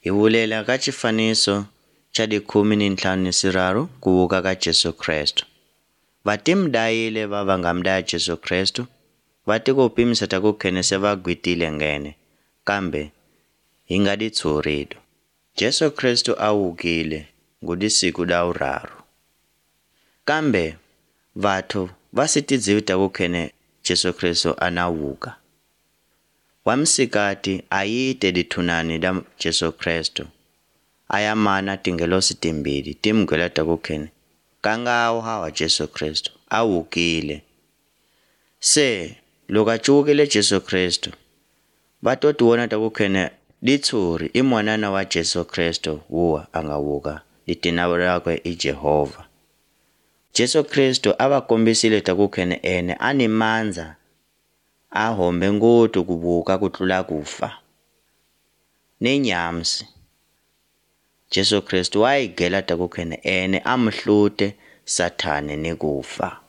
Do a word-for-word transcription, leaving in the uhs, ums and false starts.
Hi vulela ka xifaniso xa dikhume ni ntlhanu ni siraru ku vuka ka Jesu Kristu. Vatimu dayile va va nga mu daya Jesu Kristu va ti ku pimisa ta ku khene se va gwitile ngene kambe hi nga di tshurido. Jesu Kristu a wukile ngudi siku da wuraru. Kambe vatho va si tidzivi ta ku khene Jesu Kristu ana wuka. Wamsikati a yite dithunani da Jesu Kristu. Aya mana tingelosi timbili timgwela ta ku khene kangawa hawa Jesu Kristu a wukile. Se loko a cuwukile Jesu Kristu va to tiwona ta ku khene ditshuri i mwanana wa Jesu Kristu wuwa a nga wuka litina rakwe i Jehovha. Jesu Kristu a va kombisile ta ku khene ene a ni mandza a hombe ngoti ku vuka ku tlula kufa. Ni nyamsi Jesu Kristu wa yi gela ta ku khene ene a muhlute Sathane ni kufa.